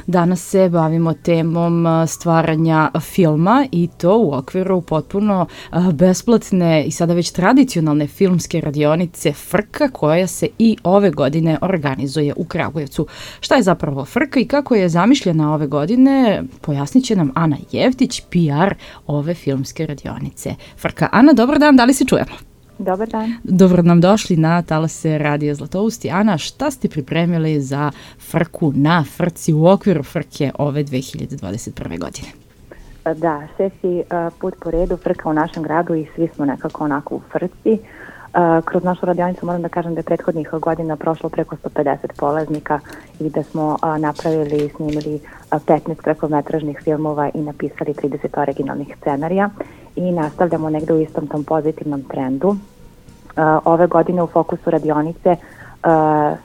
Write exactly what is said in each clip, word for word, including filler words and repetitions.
Danas se bavimo temom stvaranja filma i to u okviru potpuno besplatne i sada već tradicionalne filmske radionice Frka koja se i ove godine organizuje u Kragujevcu. Šta je zapravo Frka i kako je zamišljena ove godine, pojasnit će nam Ana Jevtić, P R ove filmske radionice Frka. Ana, dobar dan, da li se čujemo? Dobar dan. Dobro nam došli na talase Radija Zlatousti. Ana, šta ste pripremili za Frku na Frci u okviru Frke ove dve hiljade dvadeset prve. godine? Da, šesti put po redu Frka u našem gradu i svi smo nekako onako u Frci. Kroz našu radionicu moram da kažem da je prethodnih godina prošlo preko sto pedeset polaznika i da smo napravili i snimili petnaest kratkometražnih filmova i napisali trideset originalnih scenarija i nastavljamo negde u istom tom pozitivnom trendu. Ove godine u fokusu radionice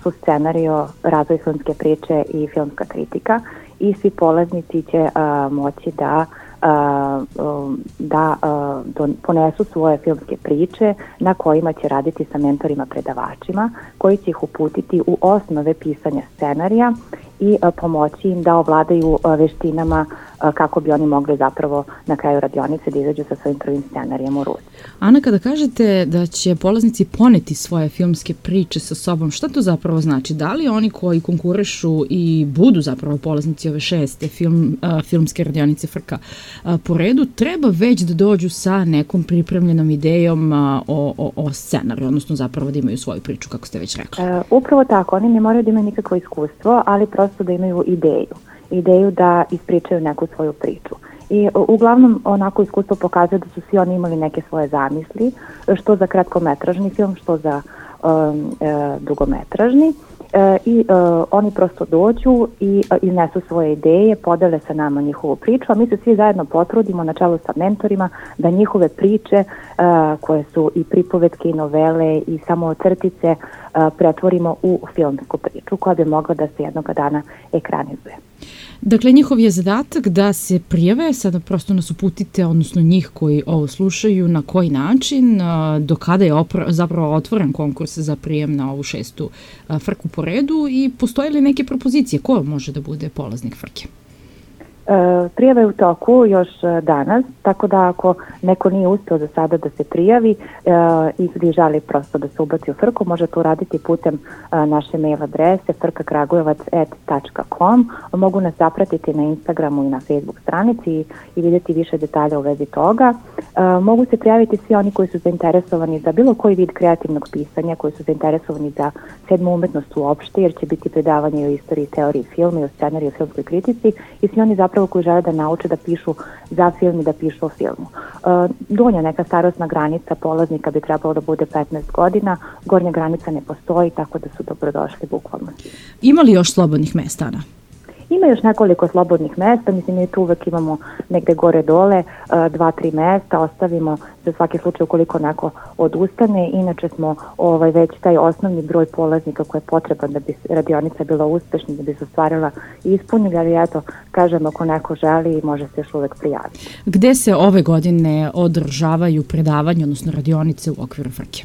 su scenario, razvoj filmske priče i filmska kritika i svi polaznici će moći da da ponesu svoje filmske priče na kojima će raditi sa mentorima predavačima koji će ih uputiti u osnove pisanja scenarija i pomoći im da ovladaju veštinama kako bi oni mogli zapravo na kraju radionice da izađu sa svojim prvim scenarijem u ruci. Ana, kada kažete da će polaznici poneti svoje filmske priče sa sobom, šta to zapravo znači? Da li oni koji konkurišu i budu zapravo polaznici ove šeste film, uh, filmske radionice Frka uh, po redu, treba već da dođu sa nekom pripremljenom idejom uh, o, o, o scenariju, odnosno zapravo da imaju svoju priču, kako ste već rekli? E, upravo tako, oni ne moraju da imaju nikakvo iskustvo, ali prosto da imaju ideju. ideju da ispričaju neku svoju priču. I uglavnom onako iskustvo pokazuje da su svi oni imali neke svoje zamisli, što za kratkometražni film, što za um, e, dugometražni. E, I e, oni prosto dođu i e, iznesu svoje ideje, podele sa nama njihovu priču, a mi se svi zajedno potrudimo na čelu sa mentorima da njihove priče e, koje su i pripovetke i novele i samo crtice e, pretvorimo u filmsku priču koja bi mogla da se jednoga dana ekranizuje. Dakle, njihov je zadatak da se prijave, sada prosto nas uputite, odnosno njih koji ovo slušaju, na koji način, do kada je opra, zapravo otvoren konkurs za prijem na ovu šestu Frku po redu i postoje li neke propozicije ko može da bude polaznik Frke? E, prijava je u toku još danas, tako da ako neko nije uspeo za sada da se prijavi e, i želi prosto da se ubaci u Frku, može to uraditi putem e, naše mail adrese frka kragujevac et tačka com. Mogu nas zapratiti na Instagramu i na Facebook stranici i, i vidjeti više detalja u vezi toga. E, mogu se prijaviti svi oni koji su zainteresovani za bilo koji vid kreativnog pisanja, koji su zainteresovani za sedmu umetnost uopšte, jer će biti predavanje o istoriji, teoriji filma i o scenariju i filmskoj kritici i svi oni zapravo koji žele da nauče da pišu za film i da pišu o filmu. Donja neka starosna granica polaznika bi trebalo da bude petnaest godina, gornja granica ne postoji, tako da su dobrodošli bukvalno. Ima li još slobodnih mesta, Ana? Ima još nekoliko slobodnih mesta, mislim mi tu uvek imamo negde gore dole, dva, tri mesta, ostavimo za svaki slučaj ukoliko neko odustane, inače smo ovaj, već taj osnovni broj polaznika koji je potreban da bi radionica bila uspešna, da bi se ostvarila i ispunili, ali eto, kažem, ako neko želi, može se još uvek prijaviti. Gde se ove godine održavaju predavanje, odnosno radionice u okviru Frke?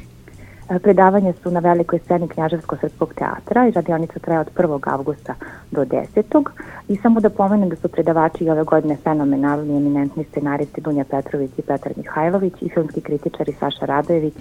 Predavanje su na velikoj sceni Knjaževsko-srpskog teatra i radionica traje od prvog avgusta do desetog I samo da pomenem da su predavači i ove godine fenomenalni, eminentni scenaristi Dunja Petrović i Petar Mihajlović i filmski kritičari Saša Radojević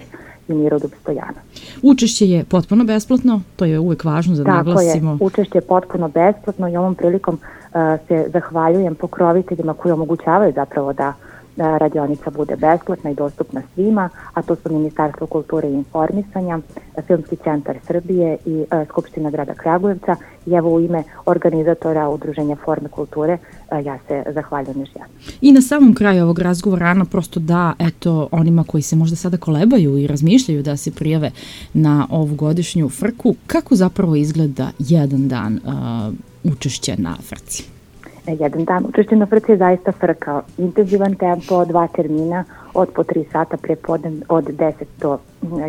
i Miroljub Stojano. Učešće je potpuno besplatno, to je uvek važno da naglasimo. Tako je, učešće je potpuno besplatno i ovom prilikom uh, se zahvaljujem pokroviteljima koji omogućavaju zapravo da radionica bude besplatna i dostupna svima, a to su Ministarstvo kulture i informisanja, Filmski centar Srbije i a, Skupština grada Kragujevca. I evo u ime organizatora Udruženja Forme kulture a, ja se zahvaljujem još jednom. I na samom kraju ovog razgovora, Ana, prosto da, eto, onima koji se možda sada kolebaju i razmišljaju da se prijave na ovu godišnju Frku, kako zapravo izgleda jedan dan a, učešća na Frci? Jedan dan učešće na Frci je zaista frka. Intenzivan tempo, dva termina, od po tri sata prepodne od deset do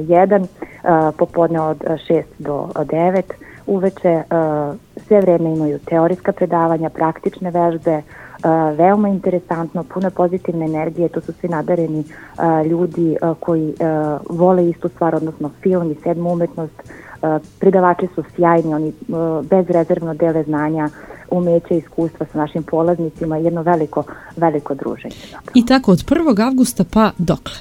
jedan, popodne od šest do devet. Uveče sve vreme imaju teorijska predavanja, praktične vežbe, veoma interesantno, puno pozitivne energije, to su svi nadareni ljudi koji vole istu stvar, odnosno film i sedmu umetnost. Predavači su sjajni, oni bezrezervno dele znanja, umeće i iskustva sa našim polaznicima i jedno veliko, veliko druženje. Zapravo. I tako od prvog avgusta pa dokle?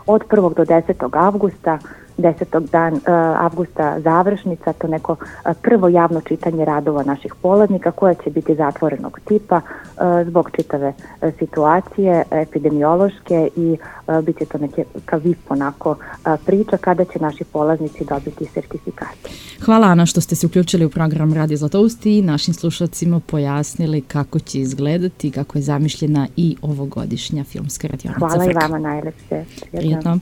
Od prvog do desetog avgusta, desetog dan uh, avgusta završnica, to neko uh, prvo javno čitanje radova naših polaznika koje će biti zatvorenog tipa uh, zbog čitave uh, situacije epidemiološke i uh, bit će to neke kao V I P onako uh, priča kada će naši polaznici dobiti sertifikate. Hvala Ana što ste se uključili u program Radio Zlatoust i našim slušalcima pojasnili kako će izgledati, kako je zamišljena i ovogodišnja filmska radionica. Hvala Frka. I vama najlepše. Prijetno.